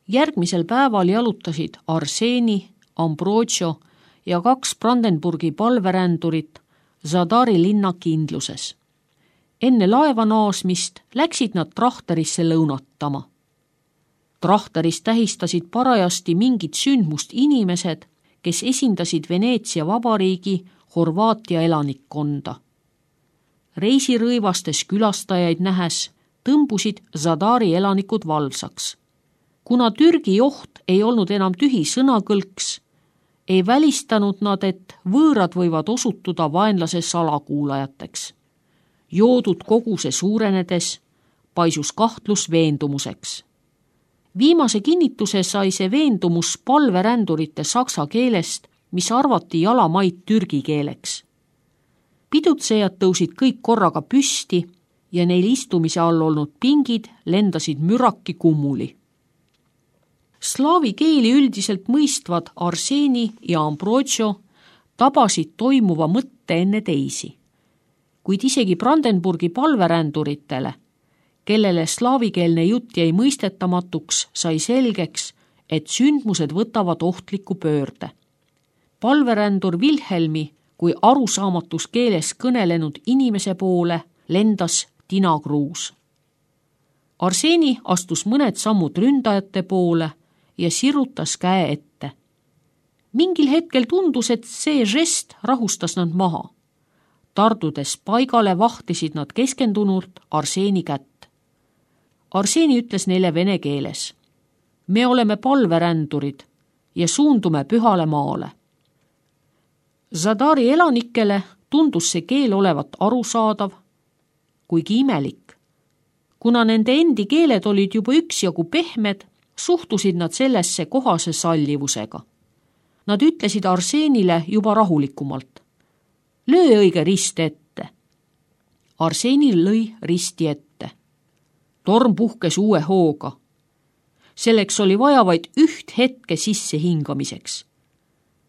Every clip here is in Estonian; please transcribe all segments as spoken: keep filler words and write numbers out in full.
Järgmisel päeval jalutasid Arseni, Ambrogio ja kaks Brandenburgi palverändurit Zadari linna kindluses. Enne laeva naasmist läksid nad Trachterisse lõunatama. Trachteris tähistasid parajasti mingit sündmust inimesed, kes esindasid Veneetsia vabariigi Horvaatia elanikkonda. Reisirõivastes külastajaid nähes tõmbusid Zadari elanikud valvsaks. Kuna Türgi joht ei olnud enam tühi sõnakõlks, ei välistanud nad, et võõrad võivad osutuda vaenlase salakuulajateks. Joodud koguse suurenedes paisus kahtlus veendumuseks. Viimase kinnituse sai see veendumus palverändurite saksa keelest, mis arvati jalamaid türgi keeleks. Pidutsejad tõusid kõik korraga püsti ja neil istumise all olnud pingid lendasid müraki kummuli. Slaavi keeli üldiselt mõistvad Arseni ja Ambrogio tabasid toimuva mõtte enne teisi, kuid isegi Brandenburgi palveränduritele, kellele slaavikeelne jutt jäi mõistetamatuks, sai selgeks, et sündmused võtavad ohtliku pöörde. Palverändur Wilhelmi kui arusaamatus keeles kõnelenud inimese poole lendas tinakruus. Arseni astus mõned sammud ründajate poole ja sirutas käe ette. Mingil hetkel tundus, et see žest rahustas nad maha. Tardudes paigale vahtisid nad keskendunult Arseni kätt. Arseni ütles neile vene keeles: me oleme palverändurid ja suundume pühale maale. Zadari elanikele tundus see keel olevat arusaadav, kuigi imelik. Kuna nende endi keeled olid juba üksjagu pehmed, suhtusid nad sellesse kohase sallivusega. Nad ütlesid Arsenile juba rahulikumalt: löö õige rist ette. Arseni lõi risti ette. Torm puhkes uue hooga. Selleks oli vaja vaid üht hetke sisse hingamiseks.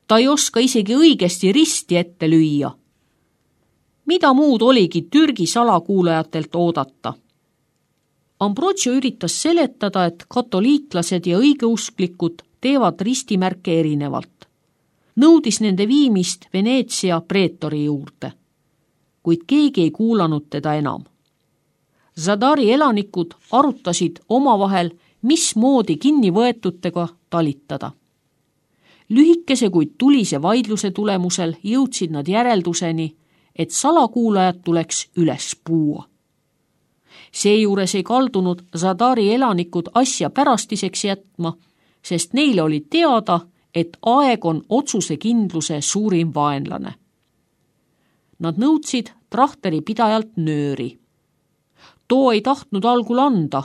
Ta ei oska isegi õigesti risti ette lüüa. Mida muud oligi Türgi salakuulajatelt oodata? Ambrogio üritas seletada, et katoliiklased ja õigeusklikud teevad ristimärke erinevalt. Nõudis nende viimist Veneetsia preetori juurde, kuid keegi ei kuulanud teda enam. Zadari elanikud arutasid omavahel, mismoodi kinnivõetutega talitada. Lühikese kuid tulise vaidluse tulemusel jõudsid nad järelduseni, et salakuulajad tuleks üles puua. Seejuures ei kaldunud Zadari elanikud asja pärastiseks jätma, sest neile oli teada, et aeg on otsusekindluse suurim vaenlane. Nad nõudsid Trachteri pidajalt nööri. Too ei tahtnud algul anda,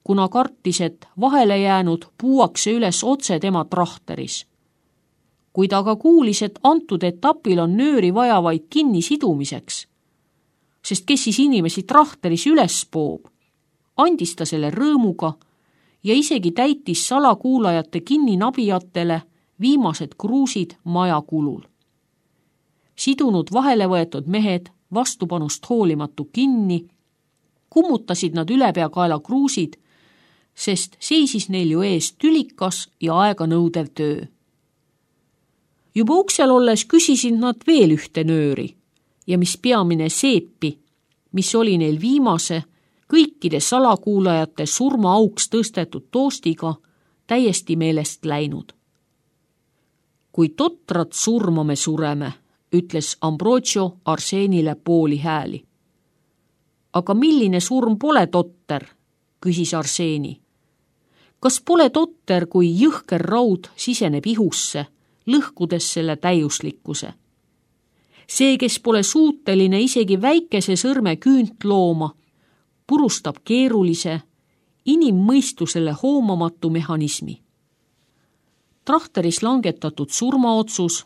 kuna kartis, et vahele jäänud puuakse üles otse tema Trachteris. Kuid aga kuulis, et antud etapil on nööri vaja vaid kinni sidumiseks, sest kes siis inimesi Trachteris üles poob, andis ta selle rõõmuga ja isegi täitis salakuulajate kinninabijatele viimased kruusid maja kulul. Sidunud vahele võetud mehed vastupanust hoolimatu kinni, kummutasid nad ülepeakaela kruusid, sest seisis neil ju ees tülikas ja aega nõudev töö. Juba uksel olles küsisid nad veel ühte nööri ja mis peamine seepi, mis oli neil viimase, kõikide salakuulajate surmaauks tõstetud toostiga täiesti meelest läinud. Kui totrat surma me sureme, ütles Ambrogio Arsenile pooli hääli. Aga milline surm pole totter, küsis Arseni. Kas pole totter, kui jõhker raud siseneb ihusse, lõhkudes selle täiuslikkuse? See, kes pole suuteline isegi väikese sõrme küünt looma, purustab keerulise, inimmõistusele hoomamatu mehhanismi. Trachteris langetatud surmaotsus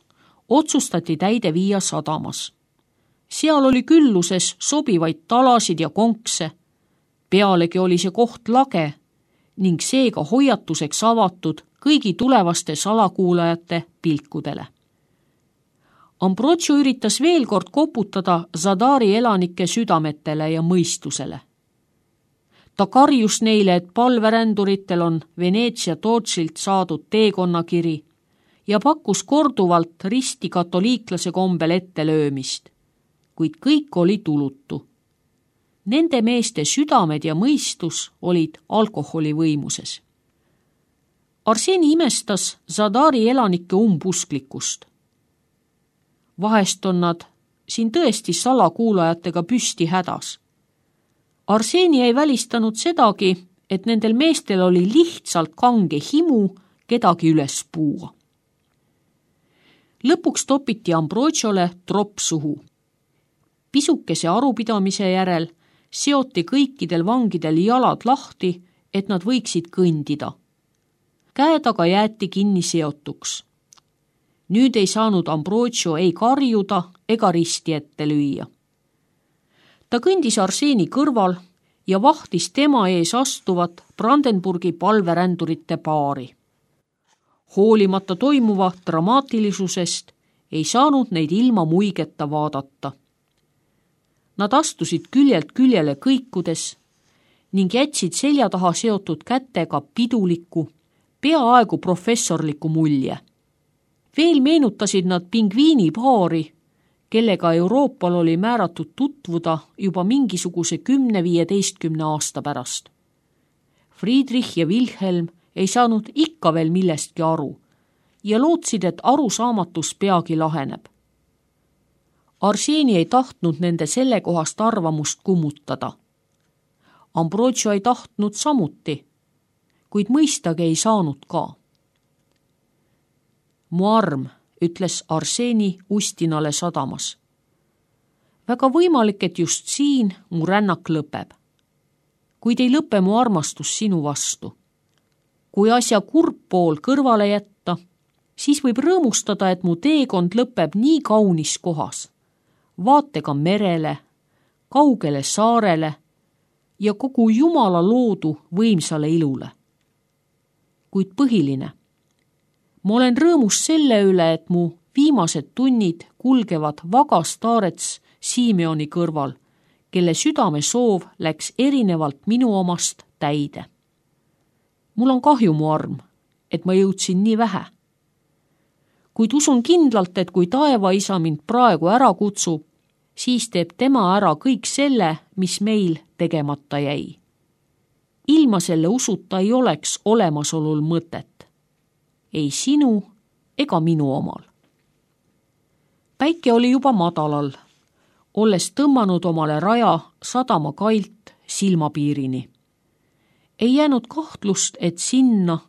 otsustati täide viia sadamas. Seal oli külluses sobivaid talasid ja konkse, pealegi oli see koht lage ning seega hoiatuseks avatud kõigi tulevaste salakuulajate pilkudele. Ambrogio üritas veel kord koputada Zadari elanike südametele ja mõistusele. Ta karjus neile, et palveränduritel on Veneetsia Tootsilt saadud teekonnakiri ja pakkus korduvalt risti katoliiklase kombel ettelöömist, kuid kõik oli tulutu. Nende meeste südamed ja mõistus olid alkoholi võimuses. Arseni imestas Zadari elanike umbusklikkust. Vahest on nad siin tõesti salakuulajatega püsti hädas. Arseni ei välistanud sedagi, et nendel meestel oli lihtsalt kange himu kedagi üles puua. Lõpuks topiti Ambrogiole tropp suhu. Pisukese arupidamise järel seoti kõikidel vangidel jalad lahti, et nad võiksid kõndida. Käed aga jäeti kinni seotuks. Nüüd ei saanud Ambrogio ei karjuda ega risti ette lüüa. Ta kõndis Arseni kõrval ja vahtis tema ees astuvat Brandenburgi palverändurite paari. Hoolimata toimuva dramaatilisusest ei saanud neid ilma muigeta vaadata. Nad astusid küljelt küljele kõikudes ning jätsid selja taha seotud kätega piduliku, peaaegu professorliku mulje. Veel meenutasid nad pingviinipaari, kellega Euroopal oli määratud tutvuda juba mingisuguse kümne-viieteistkümne aasta pärast. Friedrich ja Wilhelm ei saanud ikka veel millestki aru ja lootsid, et arusaamatus peagi laheneb. Arseni ei tahtnud nende sellekohast arvamust kummutada. Ambrogio ei tahtnud samuti, kuid mõistagi ei saanud ka. Mu arm, ütles Arseni Ustinale sadamas. Väga võimalik, et just siin mu rännak lõpeb. Kuid ei lõpe mu armastus sinu vastu. Kui asja kurb pool kõrvale jätta, siis võib rõõmustada, et mu teekond lõpeb nii kaunis kohas. Vaatega merele, kaugele saarele ja kogu Jumala loodu võimsale ilule. Kuid põhiline. Ma olen rõõmus selle üle, et mu viimased tunnid kulgevad vagas taarets Simeoni kõrval, kelle südame soov läks erinevalt minu omast täide. Mul on kahju, mu arm, et ma jõudsin nii vähe. Kuid usun kindlalt, et kui taevaisa mind praegu ära kutsub, siis teeb tema ära kõik selle, mis meil tegemata jäi. Ilma selle usuta ei oleks olemasolul mõtet. Ei sinu ega minu omal. Päike oli juba madalal, olles tõmmanud omale raja sadama kailt silmapiirini. Ei jäänud kahtlust, et sinna,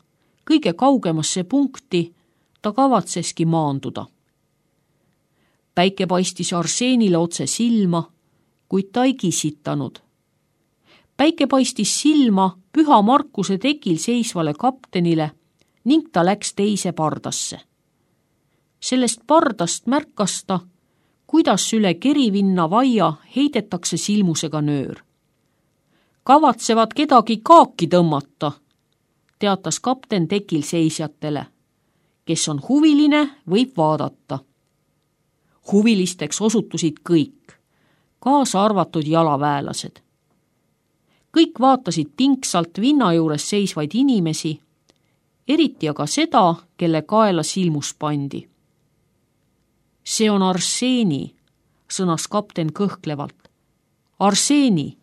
kõige kaugemasse punkti, ta kavatseski maanduda. Päike paistis Arsenile otse silma, kuid ta ei kisitanud. Päike paistis silma Püha Markuse tekil seisvale kaptenile ning ta läks teise pardasse. Sellest pardast märkas ta, kuidas üle Kerivinna vaia heidetakse silmusega nöör. Kavatsevad kedagi kaaki tõmmata, teatas kapten tekil seisjatele. Kes on huviline, võib vaadata. Huvilisteks osutusid kõik, kaasa arvatud jalaväelased. Kõik vaatasid pingsalt vinna juures seisvaid inimesi, eriti aga seda, kelle kaela silmus pandi. See on Arseni, sõnas kapten kõhklevalt. Arseni!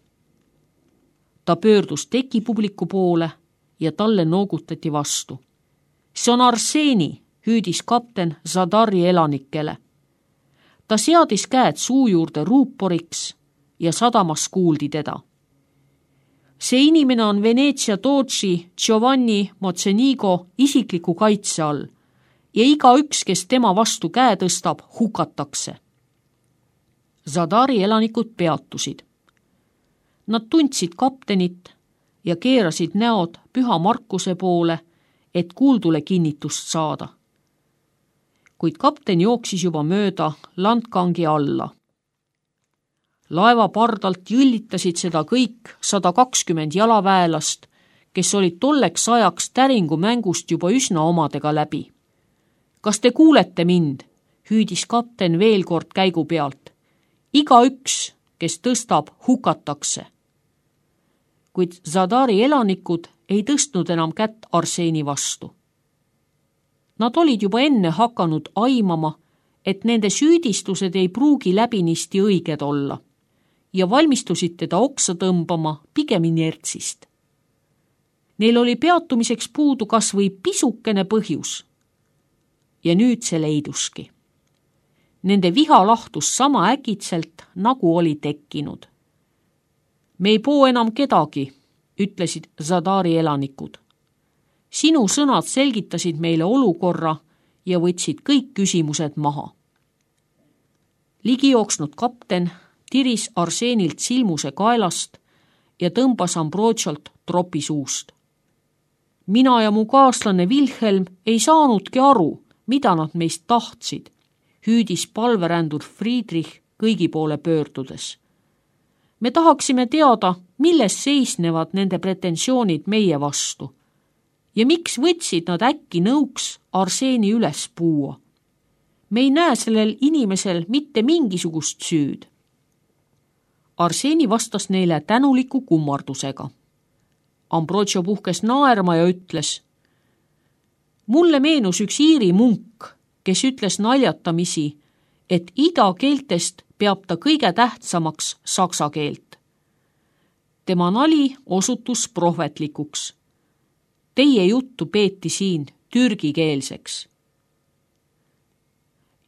Ta pöördus tekipubliku poole ja talle noogutati vastu. See on Arseni, hüüdis kapten Zadari elanikele. Ta seadis käed suu juurde ruuporiks ja sadamas kuuldi teda. See inimene on Veneetsia Tootsi Giovanni Mozzenigo isikliku kaitse all ja iga üks, kes tema vastu käe tõstab, hukatakse. Zadari elanikud peatusid. Nad tundsid kaptenit ja keerasid näod Püha Markuse poole, et kuuldule kinnitust saada. Kuid kapten jooksis juba mööda landkangi alla. Laeva pardalt jõllitasid seda kõik sada kakskümmend jalaväelast, kes olid tolleks ajaks täringu mängust juba üsna omadega läbi. Kas te kuulete mind? Hüüdis kapten veel kord käigu pealt. Iga üks, kes tõstab, hukatakse. kuid Zadari elanikud ei tõstnud enam kätt Arseeni vastu. Nad olid juba enne hakanud aimama, et nende süüdistused ei pruugi läbinisti õiged olla ja valmistusid teda oksa tõmbama pigem inertsist. Neil oli peatumiseks puudu kas või pisukene põhjus. Ja nüüd see leiduski. Nende viha lahtus sama äkitselt, nagu oli tekkinud. Me ei poo enam kedagi, ütlesid Zadari elanikud. Sinu sõnad selgitasid meile olukorra ja võtsid kõik küsimused maha. Ligi jooksnud kapten tiris Arseenilt silmuse kaelast ja tõmbas Ambrotsiolt tropi suust. Mina ja mu kaaslane Wilhelm ei saanudki aru, mida nad meist tahtsid, hüüdis palverändur Friedrich kõigi poole pöördudes. Me tahaksime teada, milles seisnevad nende pretensioonid meie vastu ja miks võtsid nad äkki nõuks Arseeni üles puua. Me ei näe sellel inimesel mitte mingisugust süüd. Arseeni vastas neile tänuliku kummardusega. Ambrotio puhkes naerma ja ütles: mulle meenus üks Iiri munk, kes ütles naljatamisi, et ida keeltest peab ta kõige tähtsamaks saksa keelt. Tema nali osutus prohvetlikuks. Teie juttu peeti siin türgikeelseks.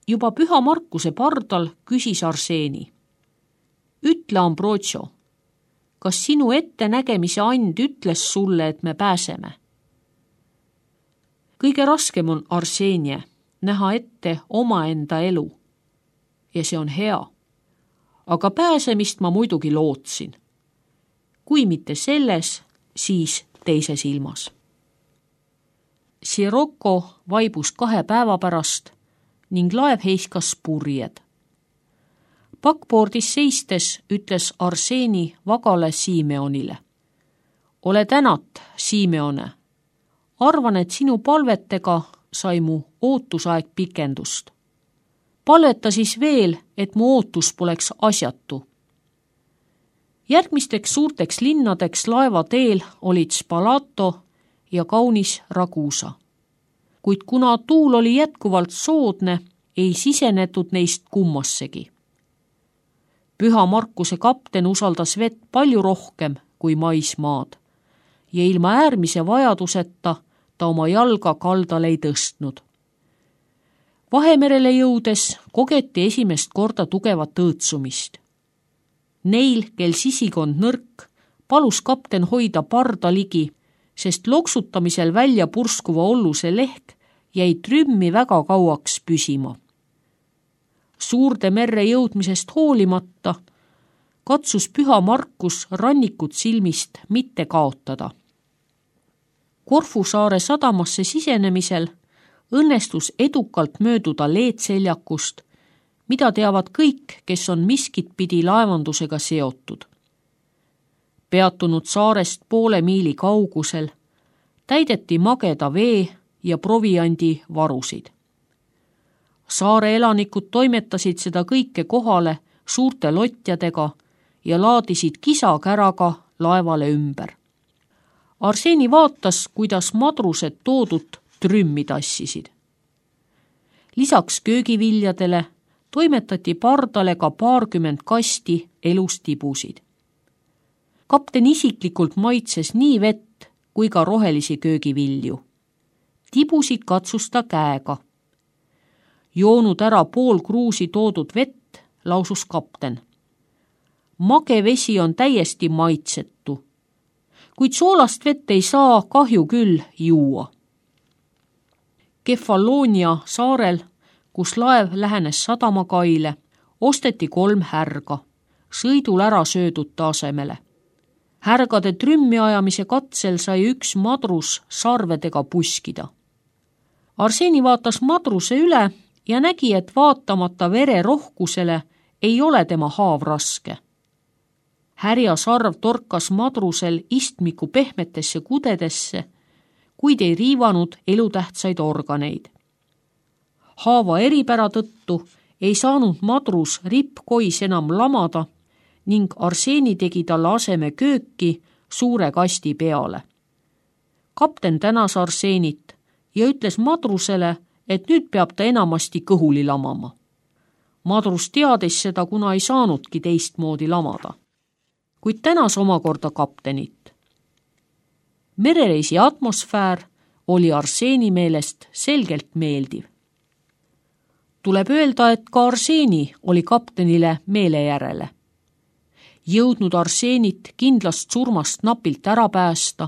Juba Püha Markuse pardal küsis Arseeni: ütle, Ambrotio, kas sinu ettenägemise and ütles sulle, et me pääseme? Kõige raskem on, Arseenie, näha ette omaenda elu. Ja see on hea. Aga pääsemist ma muidugi lootsin. Kui mitte selles, siis teises ilmas. Sirocco vaibus kahe päeva pärast ning laev heiskas purjed. Pakpoordis seistes ütles Arseeni vagale Simeonile: ole tänat, Simeone. Arvan, et sinu palvetega sai mu ootusaeg pikendust. Palveta siis veel, et mu ootus poleks asjatu. Järgmisteks suurteks linnadeks laeva teel olid Spalato ja kaunis Ragusa. Kuid kuna tuul oli jätkuvalt soodne, ei sisenetud neist kummassegi. Püha Markuse kapten usaldas vett palju rohkem kui maismaad ja ilma äärmise vajaduseta ta oma jalga kaldale ei tõstnud. Vahemerele jõudes kogeti esimest korda tugevat õõtsumist. Neil, kel sisikond nõrk, palus kapten hoida parda ligi, sest loksutamisel välja purskuva olluse lehk jäi trümmi väga kauaks püsima. Suurde merre jõudmisest hoolimata katsus Püha Markus rannikut silmist mitte kaotada. Korfu saare sadamasse sisenemisel õnnestus edukalt mööduda leedseljakust, mida teavad kõik, kes on miskit pidi laevandusega seotud. Peatunud saarest poole miili kaugusel täideti mageda vee ja proviandi varusid. Saare elanikud toimetasid seda kõike kohale suurte lotjadega ja laadisid kisakäraga laevale ümber. Arseeni vaatas, kuidas madrused toodud trümmi tassisid. Lisaks köögiviljadele toimetati pardale ka paarkümmend kasti elustibusid. Kapten isiklikult maitses nii vett kui ka rohelisi köögivilju. Tibusid katsus ta käega. Joonud ära pool kruusi toodud vett, lausus kapten. Mage vesi on täiesti maitsetu, kuid soolast vett ei saa kahju küll juua. Kefaloonia saarel, kus laev lähenes sadamakaile, osteti kolm härga, sõidul ära söödute asemele. Härgade trümmi ajamise katsel sai üks madrus sarvedega puskida. Arseeni vaatas madruse üle ja nägi, et vaatamata vere rohkusele ei ole tema haav raske. Härja sarv torkas madrusel istmiku pehmetesse kudedesse, kuid ei riivanud elutähtsaid organeid. Haava eripära tõttu ei saanud madrus rippkois enam lamada ning Arseeni tegi talle aseme kööki suure kasti peale. Kapten tänas Arseenit ja ütles madrusele, et nüüd peab ta enamasti kõhuli lamama. Madrus teadis seda, kuna ei saanudki teistmoodi lamada, kuid tänas omakorda kaptenit. Merereisi atmosfäär oli Arseeni meelest selgelt meeldiv. Tuleb öelda, et ka Arseeni oli kaptenile meele järele. Jõudnud Arseenit kindlast surmast napilt ära päästa,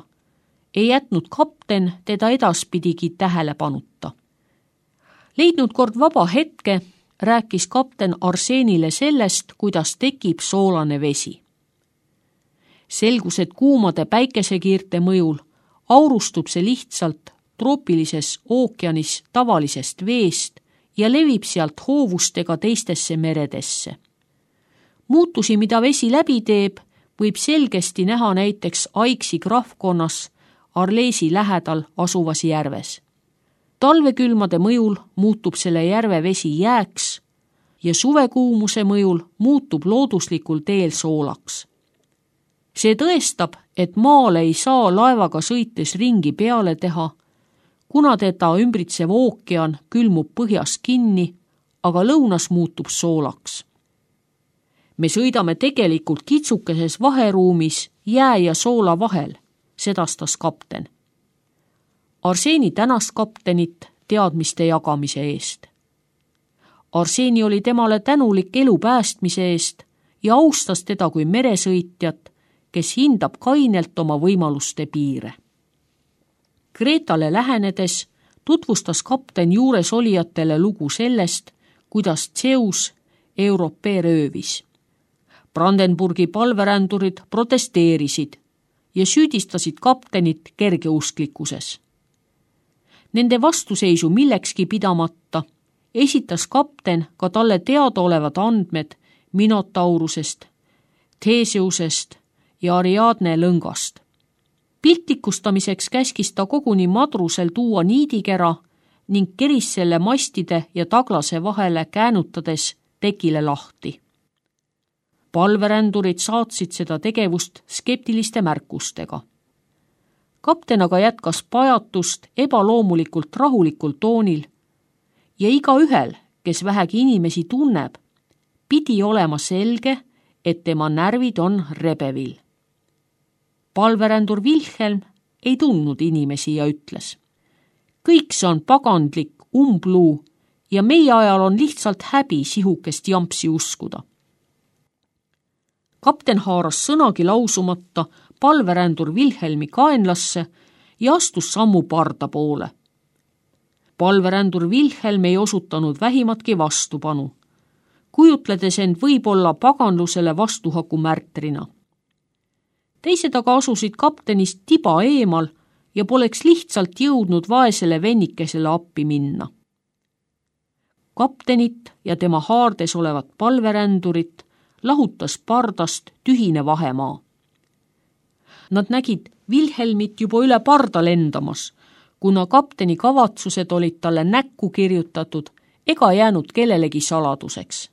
ei jätnud kapten teda edaspidigi tähelepanuta. Leidnud kord vaba hetke, rääkis kapten Arseenile sellest, kuidas tekib soolane vesi. Selgus, et kuumade päikesekiirte mõjul aurustub see lihtsalt troopilises ookeanis tavalisest veest ja levib sealt hoovustega teistesse meredesse. Muutusi, mida vesi läbi teeb, võib selgesti näha näiteks Aiksi krahvkonnas Arleesi lähedal asuvas järves. Talvekülmade mõjul muutub selle järve vesi jääks ja suvekuumuse mõjul muutub looduslikul teel soolaks. See tõestab, et maale ei saa laevaga sõites ringi peale teha, kuna teda ümbritsev ookean külmub põhjas kinni, aga lõunas muutub soolaks. Me sõidame tegelikult kitsukeses vaheruumis jää ja soola vahel, sedastas kapten. Arseeni tänas kaptenit teadmiste jagamise eest. Arseeni oli temale tänulik elu päästmise eest ja austas teda kui meresõitjat, kes hindab kainelt oma võimaluste piire. Kreetale lähenedes tutvustas kapten juures olijatele lugu sellest, kuidas Zeus Europee röövis. Brandenburgi palverändurid protesteerisid ja süüdistasid kaptenit kergeusklikkuses. Nende vastuseisu millekski pidamata esitas kapten ka talle teadaolevad andmed Minotaurusest, Theseusest ja Ariadne lõngast. Piltlikustamiseks käskis ta koguni madrusel tuua niidikera ning keris selle mastide ja taglase vahele käänutades tekile lahti. Palverändurid saatsid seda tegevust skeptiliste märkustega. Kapten aga jätkas pajatust ebaloomulikult rahulikul toonil ja igaühel, kes vähegi inimesi tunneb, pidi olema selge, et tema närvid on rebevil. Palverändur Wilhelm ei tundnud inimesi ja ütles: kõik see on pagandlik umbluu ja meie ajal on lihtsalt häbi sihukest jampsi uskuda. Kapten haaras sõnagi lausumata palverändur Wilhelmi kaenlasse ja astus sammu parda poole. Palverändur Wilhelm ei osutanud vähimatki vastupanu, kujutledes end võib-olla paganlusele vastuhaku märtrina. Teised aga asusid kaptenist tiba eemal ja poleks lihtsalt jõudnud vaesele vennikesele appi minna. Kaptenit ja tema haardes olevat palverändurit lahutas pardast tühine vahemaa. Nad nägid Wilhelmit juba üle parda lendamas, kuna kapteni kavatsused olid talle näkku kirjutatud ega jäänud kellelegi saladuseks.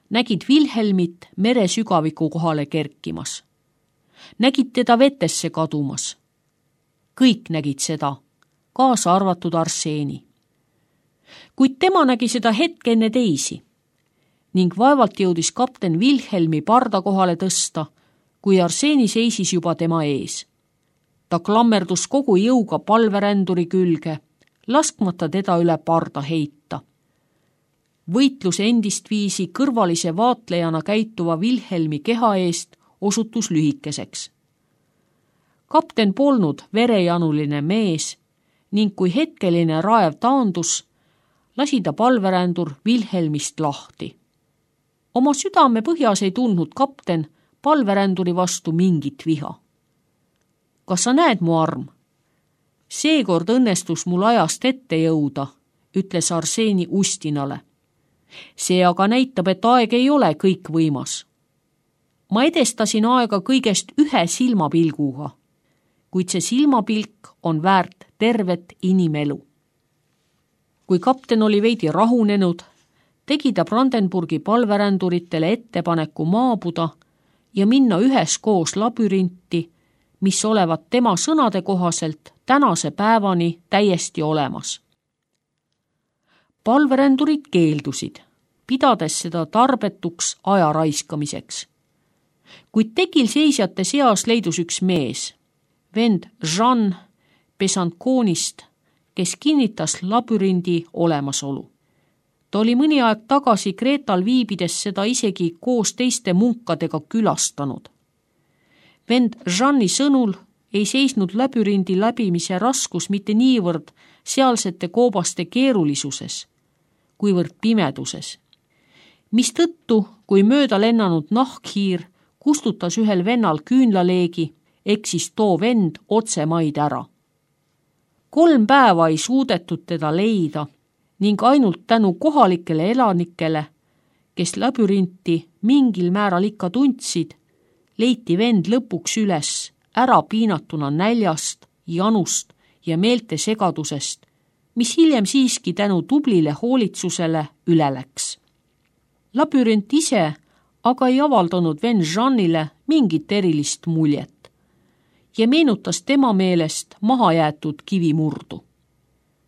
Nägid Wilhelmit mere sügaviku kohale kerkimas. Nägid teda vetesse kadumas. Kõik nägid seda, kaasa arvatud Arseeni. Kuid tema nägi seda hetke enne teisi ning vaevalt jõudis kapten Wilhelmi parda kohale tõsta, kui Arseeni seisis juba tema ees. Ta klammerdus kogu jõuga palveränduri külge, laskmata teda üle parda heita. Võitlus endist viisi kõrvalise vaatlejana käituva Wilhelmi keha eest osutus lühikeseks. Kapten polnud verejanuline mees ning kui hetkeline raev taandus, lasi ta palverändur Wilhelmist lahti. Oma südame põhjas ei tundnud kapten palveränduri vastu mingit viha. Kas sa näed, mu arm? Seekord õnnestus mul ajast ette jõuda, ütles Arseeni ustinale. See aga näitab, et aeg ei ole kõik võimas. Ma edestasin aega kõigest ühe silmapilguga, kuid see silmapilk on väärt tervet inimelu. Kui kapten oli veidi rahunenud, tegi ta Brandenburgi palveränduritele ettepaneku maabuda ja minna üheskoos labürinti mis olevat tema sõnade kohaselt tänase päevani täiesti olemas. Palverändurid keeldusid, pidades seda tarbetuks aja raiskamiseks. Kuid tekil seisjate seas leidus üks mees, vend Jean Besanconist, kes kinnitas labürindi olemasolu. Ta oli mõni aeg tagasi Kreetal viibides seda isegi koos teiste munkadega külastanud. Vend Jean'i sõnul ei seisnud labürindi läbimise raskus mitte niivõrd sealsete koobaste keerulisuses, kuivõrd pimeduses. Mistõttu, kui mööda lennanud nahkhiir kustutas ühel vennal küünlaleegi, eksis too vend otse maid ära. Kolm päeva ei suudetud teda leida ning ainult tänu kohalikele elanikele, kes labürinti mingil määral ikka tundsid, leiti vend lõpuks üles ära piinatuna näljast, janust ja meelte segadusest, mis hiljem siiski tänu tublile hoolitsusele üle läks. Labürint ise aga ei avaldanud vend Jean'ile mingit erilist muljet ja meenutas tema meelest mahajäetud kivimurdu.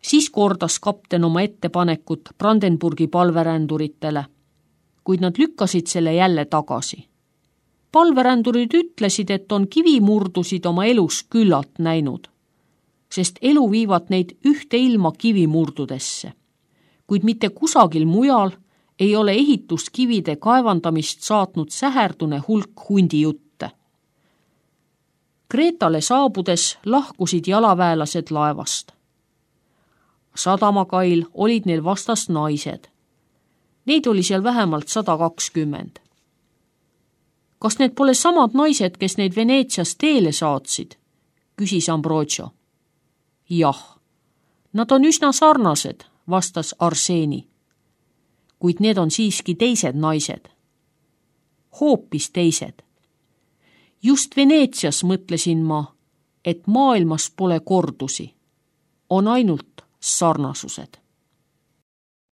Siis kordas kapten oma ettepanekut Brandenburgi palveränduritele, kuid nad lükkasid selle jälle tagasi. Palverändurid ütlesid, et on kivimurdusid oma elus küllalt näinud, sest elu viivad neid ühte ilma kivimurdudesse, kuid mitte kusagil mujal ei ole ehituskivide kaevandamist saatnud säherdune hulk hundijutte. Kreetale saabudes lahkusid jalaväelased laevast. Sadamakail olid neil vastas naised. Neid oli seal vähemalt sada kakskümmend. Kas need pole samad naised, kes neid Veneetsias teele saatsid? Küsis Ambrogio. Jah, nad on üsna sarnased, vastas Arseni. Kuid need on siiski teised naised. Hoopis teised. Just Veneetsias mõtlesin ma, et maailmas pole kordusi, on ainult sarnasused.